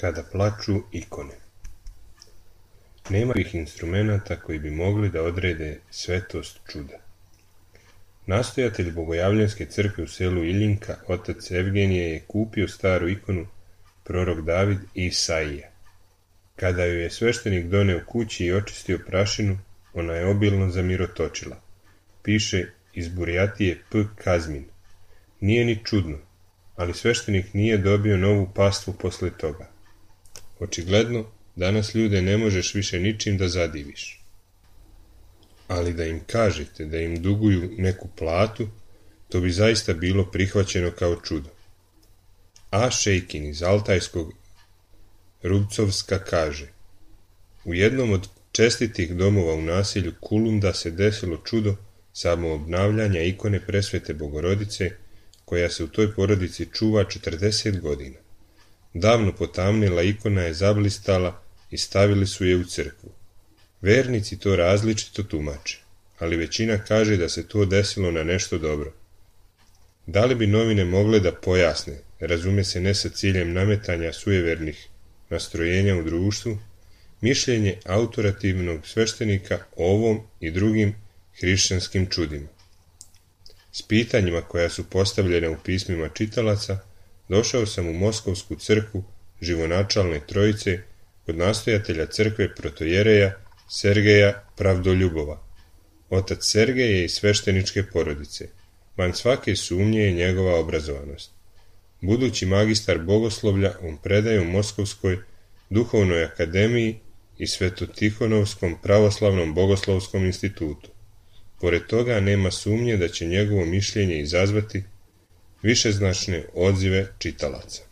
Kada plaču ikone. Nema ovih instrumenata koji bi mogli da odrede svetost čuda. Nastojatelj Bogojavljanske crkve u selu Iljinka, otac Evgenije, je kupio staru ikonu prorok David i Isaija. Kada ju je sveštenik doneo kući i očistio prašinu, ona je obilno zamirotočila. Piše iz Burjatije P. Kazmin. Nije ni čudno, ali sveštenik nije dobio novu pastvu posle toga. Očigledno, danas ljude ne možeš više ničim da zadiviš. Ali da im kažete da im duguju neku platu, to bi zaista bilo prihvaćeno kao čudo. A. Šejkin iz Altajskog Rubcovska kaže: u jednom od čestitih domova u naselju Kulunda se desilo čudo samoobnavljanja ikone Presvete Bogorodice, koja se u toj porodici čuva 40 godina. Davno potamnila ikona je zablistala i stavili su je u crkvu. Vernici to različito tumače, ali većina kaže da se to desilo na nešto dobro. Da li bi novine mogle da pojasne, razume se ne sa ciljem nametanja sujevernih nastrojenja u društvu, mišljenje autorativnog sveštenika o ovom i drugim hrišćanskim čudima? S pitanjima koja su postavljena u pismima čitalaca, došao sam u Moskovsku crkvu Živonačalne Trojice kod nastojatelja crkve protojereja Sergeja Pravdoljubova. Otac Sergej je iz svešteničke porodice. Van svake sumnje je njegova obrazovanost. Budući magistar bogoslovlja, on predaje u Moskovskoj duhovnoj akademiji i Svetotihonovskom pravoslavnom bogoslovskom institutu. Pored toga nema sumnje da će njegovo mišljenje izazvati višeznačne odzive čitalaca.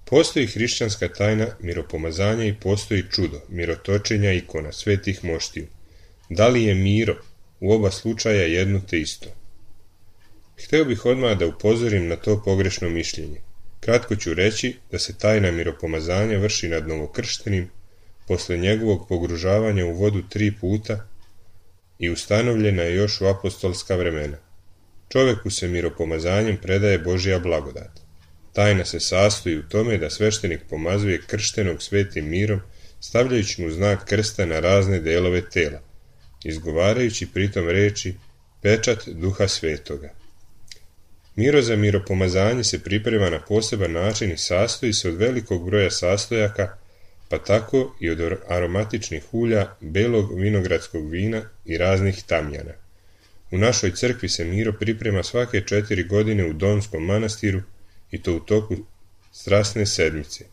Postoji hrišćanska tajna miropomazanja i postoji čudo mirotočenja ikona svetih moštiju. Da li je miro u oba slučaja jedno te isto? Hteo bih odmah da upozorim na to pogrešno mišljenje. Kratko ću reći da se tajna miropomazanja vrši nad novokrštenim posle njegovog pogružavanja u vodu 3 puta i ustanovljena je još u apostolska vremena. Čoveku se miropomazanjem predaje Božja blagodat. Tajna se sastoji u tome da sveštenik pomazuje krštenog svetim mirom, stavljajući mu znak krsta na razne delove tela, izgovarajući pritom reči pečat Duha Svetoga. Miro za miropomazanje se priprema na poseban način i sastoji se od velikog broja sastojaka, pa tako i od aromatičnih ulja, belog vinogradskog vina i raznih tamjana. U našoj crkvi se miro priprema svake 4 godine u Donskom manastiru i to u toku strasne sedmice.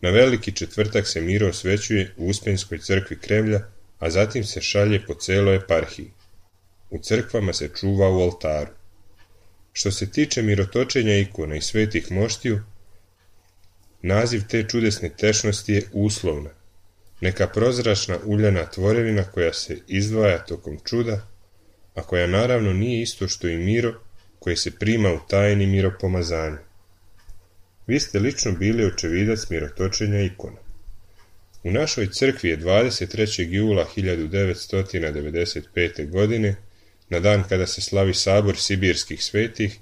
Na veliki četvrtak se miro osvećuje u Uspenskoj crkvi Kremlja, a zatim se šalje po celoj eparhiji. U crkvama se čuva u oltaru. Što se tiče mirotočenja ikona i svetih moštiju, naziv te čudesne tečnosti je uslovna, neka prozračna uljana tvorevina koja se izdvaja tokom čuda, a koja naravno nije isto što i miro koji se prima u tajni miropomazanja. Vi ste lično bili očevidac mirotočenja ikona. U našoj crkvi je 23. jula 1995. godine, na dan kada se slavi sabor sibirskih svetih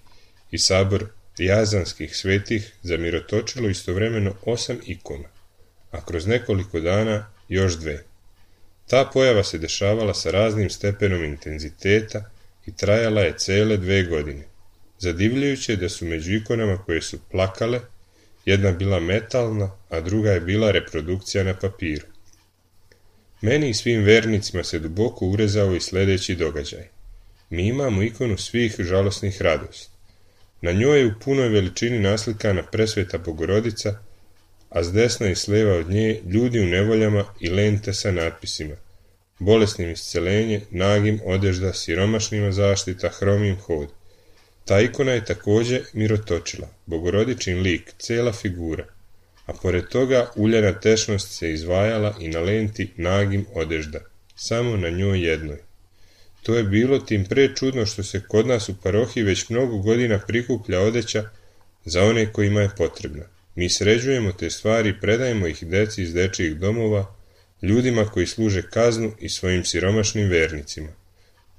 i sabor jazanskih svetih, zamirotočilo istovremeno 8 ikona, a kroz nekoliko dana još 2. Ta pojava se dešavala sa raznim stepenom intenziteta i trajala je cele 2 godine. Zadivljujuće je da su među ikonama koje su plakale, jedna bila metalna, a druga je bila reprodukcija na papiru. Meni i svim vernicima se duboko urezao i sledeći događaj. Mi imamo ikonu svih žalosnih radosti. Na njoj je u punoj veličini naslikana presveta Bogorodica, a s desna i s leva od nje ljudi u nevoljama i lente sa natpisima: bolesnim iscelenje, nagim odežda, siromašnima zaštita, hromim hod. Ta ikona je takođe mirotočila, Bogorodičin lik, cela figura, a pored toga uljana tečnost se izvajala i na lenti nagim odežda, samo na njoj jednoj. To je bilo tim pre čudno što se kod nas u parohiji već mnogo godina prikuplja odeća za one kojima je potrebna. Mi sređujemo te stvari i predajemo ih deci iz dečijih domova, ljudima koji služe kaznu i svojim siromašnim vernicima.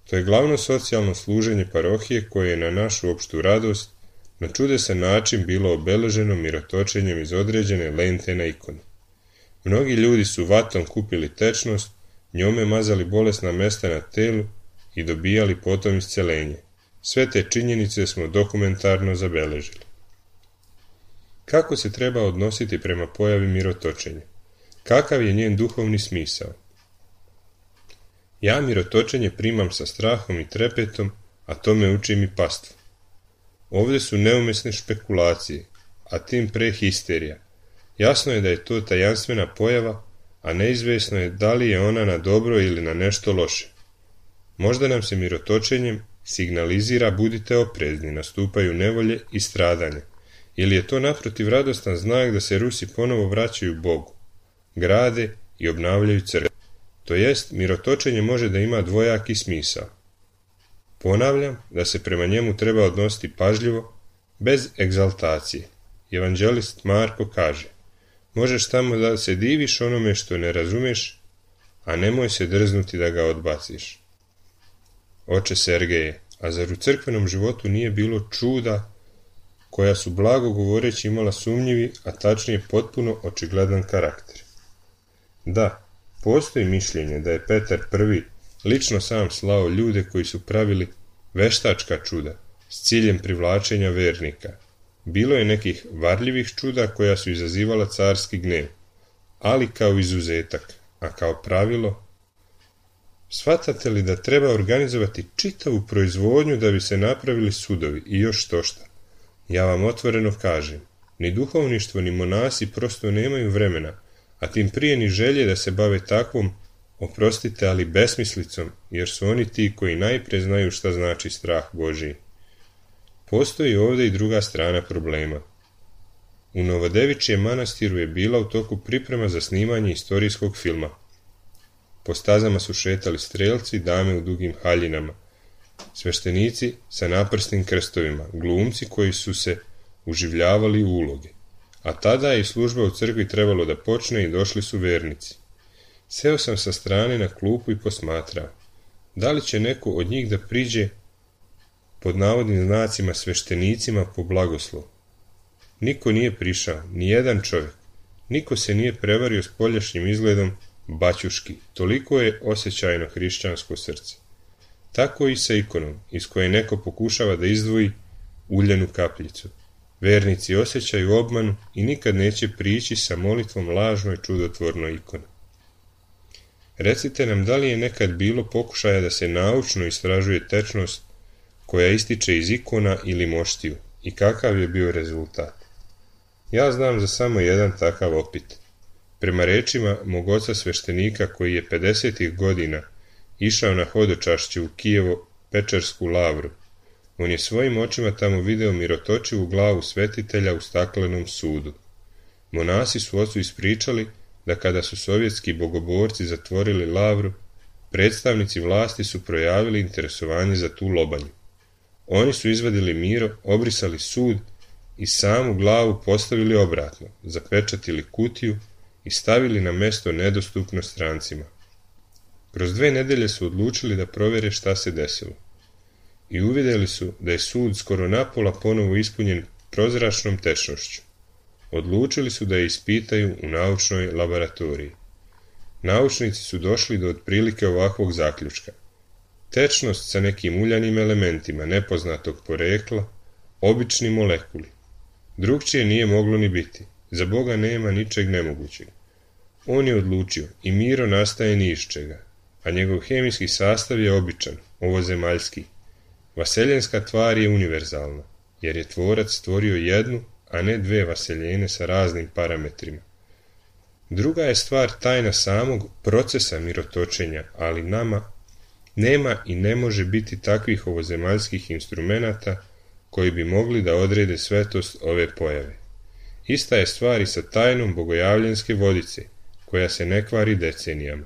To je glavno socijalno služenje parohije koje je na našu opštu radost na čudesan način bilo obeleženo mirotočenjem iz određene lente na ikoni. Mnogi ljudi su vatom kupili tečnost, njome mazali bolesna mesta na telu i dobijali potom iscelenje. Sve te činjenice smo dokumentarno zabeležili. Kako se treba odnositi prema pojavi mirotočenja? Kakav je njen duhovni smisao? Ja mirotočenje primam sa strahom i trepetom, a to me uči mi pastvo. Ovde su neumesne špekulacije, a tim pre histerija. Jasno je da je to tajanstvena pojava, a neizvesno je da li je ona na dobro ili na nešto loše. Možda nam se mirotočenjem signalizira budite oprezni, nastupaju nevolje i stradanja, ili je to naprotiv radostan znak da se Rusi ponovo vraćaju Bogu, grade i obnavljaju crkve. To jest, mirotočenje može da ima dvojaki smisao. Ponavljam da se prema njemu treba odnositi pažljivo, bez egzaltacije. Evanđelist Marko kaže: možeš tamo da se diviš onome što ne razumeš, a nemoj se drznuti da ga odbaciš. Oče Sergeje, a zar u crkvenom životu nije bilo čuda koja su blago govoreći imala sumnjivi, a tačnije potpuno očigledan karakter? Da, postoji mišljenje da je Petar I lično sam slao ljude koji su pravili veštačka čuda s ciljem privlačenja vernika. Bilo je nekih varljivih čuda koja su izazivala carski gnev, ali kao izuzetak, a kao pravilo, shvatate li da treba organizovati čitavu proizvodnju da bi se napravili sudovi i još štošta? Ja vam otvoreno kažem, ni duhovništvo ni monasi prosto nemaju vremena, a tim prije ni želje da se bave takvom, oprostite, ali besmislicom, jer su oni ti koji najprije znaju šta znači strah Božji. Postoji ovdje i druga strana problema. U Novodevičijem manastiru je bila u toku priprema za snimanje istorijskog filma. Po stazama su šetali strelci, dame u dugim haljinama, sveštenici sa naprsnim krstovima, glumci koji su se uživljavali u uloge. A tada je i služba u crkvi trebalo da počne i došli su vernici. Seo sam sa strane na klupu i posmatrao. Da li će neko od njih da priđe pod navodnim znacima sveštenicima po blagoslov? Niko nije prišao, ni jedan čovjek. Niko se nije prevario s poljašnjim izgledom baćuški. Toliko je osjećajno hrišćansko srce. Tako i sa ikonom, iz koje neko pokušava da izdvoji uljanu kapljicu. Vernici osjećaju obmanu i nikad neće prići sa molitvom lažnoj čudotvornoj ikoni. Recite nam da li je nekad bilo pokušaja da se naučno istražuje tečnost koja ističe iz ikona ili moštiju i kakav je bio rezultat. Ja znam za samo jedan takav opit. Prema rečima mog oca sveštenika koji je 50. godina išao na hodočašće u Kijevo-Pečersku lavru, on je svojim očima tamo video mirotočivu glavu svetitelja u staklenom sudu. Monasi su ocu ispričali da kada su sovjetski bogoborci zatvorili lavru, predstavnici vlasti su projavili interesovanje za tu lobanju. Oni su izvadili miro, obrisali sud i samu glavu postavili obratno, zapečatili kutiju i stavili na mesto nedostupno strancima. Kroz 2 nedelje su odlučili da provjere šta se desilo. I uvidjeli su da je sud skoro napola ponovo ispunjen prozračnom tečnošću. Odlučili su da je ispitaju u naučnoj laboratoriji. Naučnici su došli do otprilike ovakvog zaključka. Tečnost sa nekim uljanim elementima nepoznatog porekla, obični molekuli. Drugčije nije moglo ni biti. Za Boga nema ničeg nemogućeg. On je odlučio i miro nastaje ni iz čega, a njegov hemijski sastav je običan, ovozemaljski. Vaseljenska tvar je univerzalna, jer je tvorac stvorio jednu, a ne 2 vaseljene sa raznim parametrima. Druga je stvar tajna samog procesa mirotočenja, ali nama nema i ne može biti takvih ovozemaljskih instrumenata koji bi mogli da odrede svetost ove pojave. Ista je stvar i sa tajnom bogojavljenske vodice, koja se ne kvari decenijama.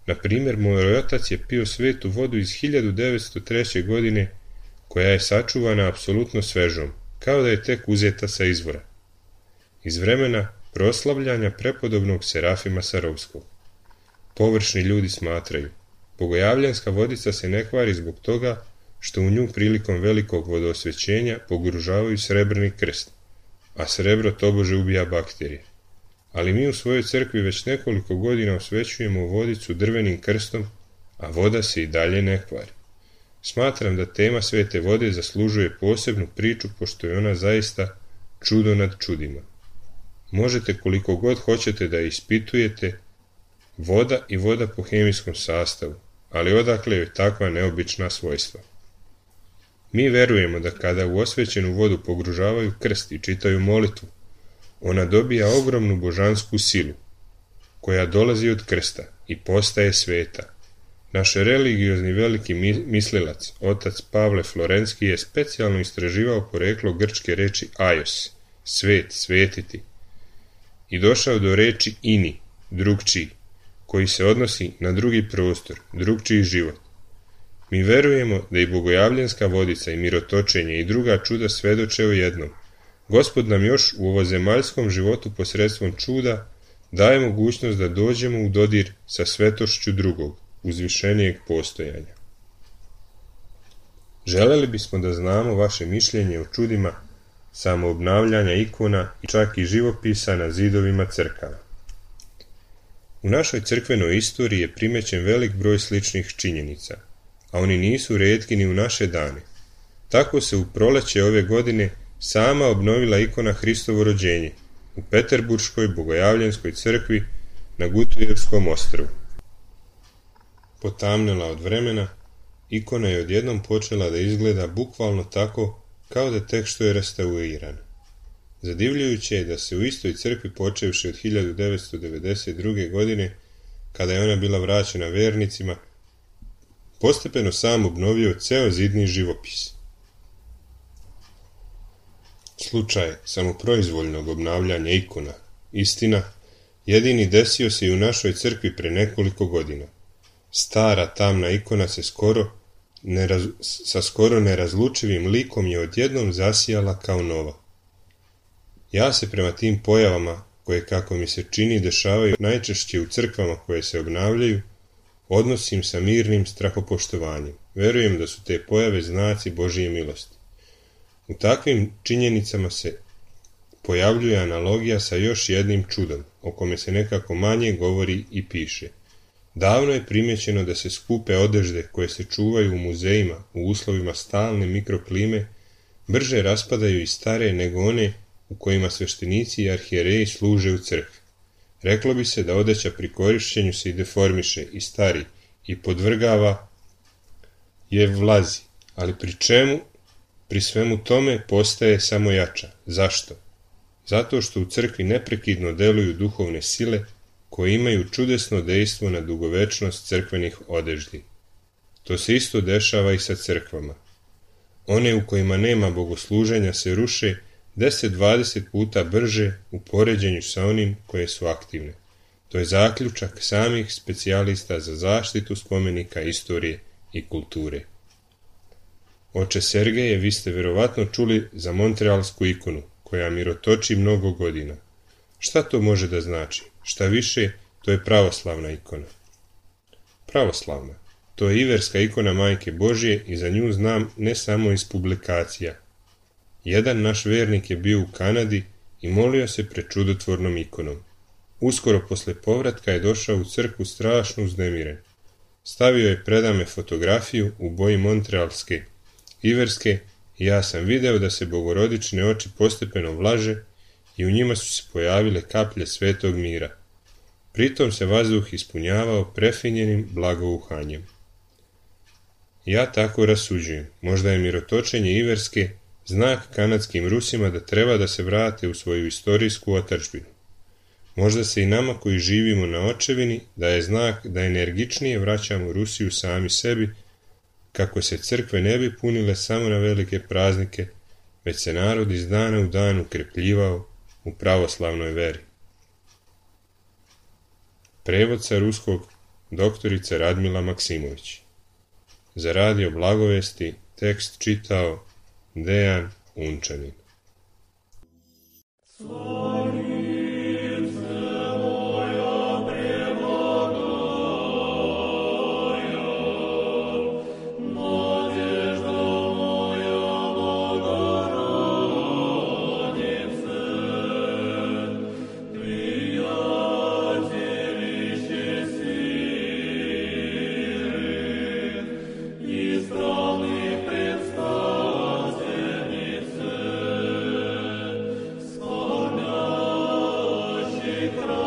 Na primjer, moj otac je pio svetu vodu iz 1903. godine, koja je sačuvana apsolutno svežom, kao da je tek uzeta sa izvora. Iz vremena proslavljanja prepodobnog Serafima Sarovskog. Površni ljudi smatraju, bogojavljanska vodica se ne kvari zbog toga što u nju prilikom velikog vodoosvećenja pogružavaju srebrni krst, a srebro tobože ubija bakterije. Ali mi u svojoj crkvi već nekoliko godina osvećujemo vodicu drvenim krstom, a voda se i dalje ne kvari. Smatram da tema svete vode zaslužuje posebnu priču, pošto je ona zaista čudo nad čudima. Možete koliko god hoćete da ispitujete voda i voda po hemijskom sastavu, ali odakle joj takva neobična svojstva? Mi verujemo da kada u osvećenu vodu pogružavaju krst i čitaju molitvu, ona dobija ogromnu božansku silu, koja dolazi od krsta i postaje sveta. Naš religiozni veliki mislilac, otac Pavle Florenski, je specijalno istraživao poreklo grčke reči aios, svet, svetiti, i došao do reči ini, drugčiji, koji se odnosi na drugi prostor, drugčiji život. Mi verujemo da i bogojavljanska vodica i mirotočenje i druga čuda svedoče o jednom. Gospod nam još u ovozemaljskom životu posredstvom čuda daje mogućnost da dođemo u dodir sa svetošću drugog, uzvišenijeg postojanja. Želeli bismo da znamo vaše mišljenje o čudima samoobnavljanja ikona i čak i živopisa na zidovima crkava. U našoj crkvenoj istoriji je primećen velik broj sličnih činjenica, a oni nisu retki ni u naše dane. Tako se u proleće ove godine sama obnovila ikona Hristovo rođenje u Peterburškoj bogojavljanskoj crkvi na Gutujevskom ostrvu. Potamnela od vremena, ikona je odjednom počela da izgleda bukvalno tako kao da tek što je restaurirana. Zadivljujuće je da se u istoj crkvi počevši od 1992. godine, kada je ona bila vraćena vernicima, postepeno sam obnovio ceo zidni živopis. Slučaj samoproizvoljnog obnavljanja ikona, istina, jedini desio se i u našoj crkvi pre nekoliko godina. Stara tamna ikona se sa skoro nerazlučivim likom je odjednom zasijala kao nova. Ja se prema tim pojavama, koje kako mi se čini dešavaju najčešće u crkvama koje se obnavljaju, odnosim sa mirnim strahopoštovanjem. Verujem da su te pojave znaci Božije milosti. U takvim činjenicama se pojavljuje analogija sa još jednim čudom, o kome se nekako manje govori i piše. Davno je primjećeno da se skupe odežde koje se čuvaju u muzejima u uslovima stalne mikroklime brže raspadaju i stare nego one u kojima sveštenici i arhijereji služe u crkvi. Reklo bi se da odeća pri korišćenju se i deformiše i stari i podvrgava je vlazi, ali pri svemu tome postaje samo jača. Zašto? Zato što u crkvi neprekidno deluju duhovne sile koje imaju čudesno dejstvo na dugovečnost crkvenih odeždi. To se isto dešava i sa crkvama. One u kojima nema bogosluženja se ruše 10-20 puta brže u poređenju sa onim koje su aktivne. To je zaključak samih specijalista za zaštitu spomenika istorije i kulture. Oče Sergeje, vi ste verovatno čuli za montrealsku ikonu, koja mirotoči mnogo godina. Šta to može da znači? Šta više, to je pravoslavna ikona. Pravoslavna. To je iverska ikona Majke Božje i za nju znam ne samo iz publikacija. Jedan naš vernik je bio u Kanadi i molio se pred čudotvornom ikonom. Uskoro posle povratka je došao u crkvu strašno uznemiren. Stavio je predame fotografiju u boji montrealske, iverske i ja sam video da se bogorodične oči postepeno vlaže i u njima su se pojavile kaplje svetog mira. Pritom se vazduh ispunjavao prefinjenim blagovuhanjem. Ja tako rasuđujem. Možda je mirotočenje iverske znak kanadskim Rusima da treba da se vrate u svoju istorijsku otadžbinu. Možda se i nama koji živimo na očevini daje znak da energičnije vraćamo Rusiju sami sebi, kako se crkve ne bi punile samo na velike praznike, već se narod iz dana u dan ukrepljivao u pravoslavnoj veri. Prevod sa ruskog doktorica Radmila Maksimović. Za radio Blagovesti tekst čitao Dejan Unčanin. Kraj